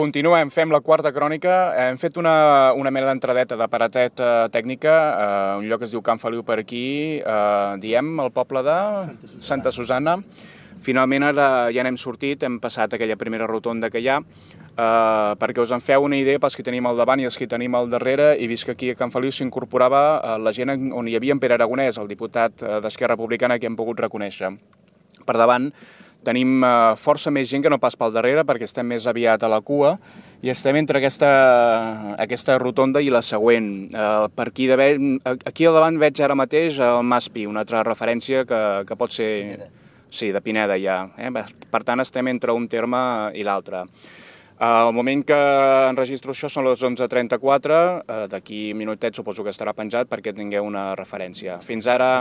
Continuem, fem la quarta crònica. Hem fet una mena d'entradeta de paratet tècnica, un lloc que es diu Can Feliu per aquí, diem el poble de Santa Susanna. Finalment ara ja n'hem sortit, hem passat aquella primera rotonda que hi ha, perquè us en feu una idea pels que tenim al davant i els que tenim al darrere, i vist que aquí a Can Feliu s'incorporava la gent on hi havia en Pere Aragonès, el diputat d'Esquerra Republicana, que hem pogut reconèixer. Per davant tenim força més gent que no pas pel darrere, perquè estem més aviat a la cua i estem entre aquesta rotonda i la següent. Per aquí al davant veig ara mateix el Mas Pi, una altra referència que pot ser... Sí, de Pineda ja. Per tant, estem entre un terme i l'altre. Al moment que enregistro això són les 11:34, d'aquí minutet suposo que estarà penjat perquè tingueu una referència. Fins ara...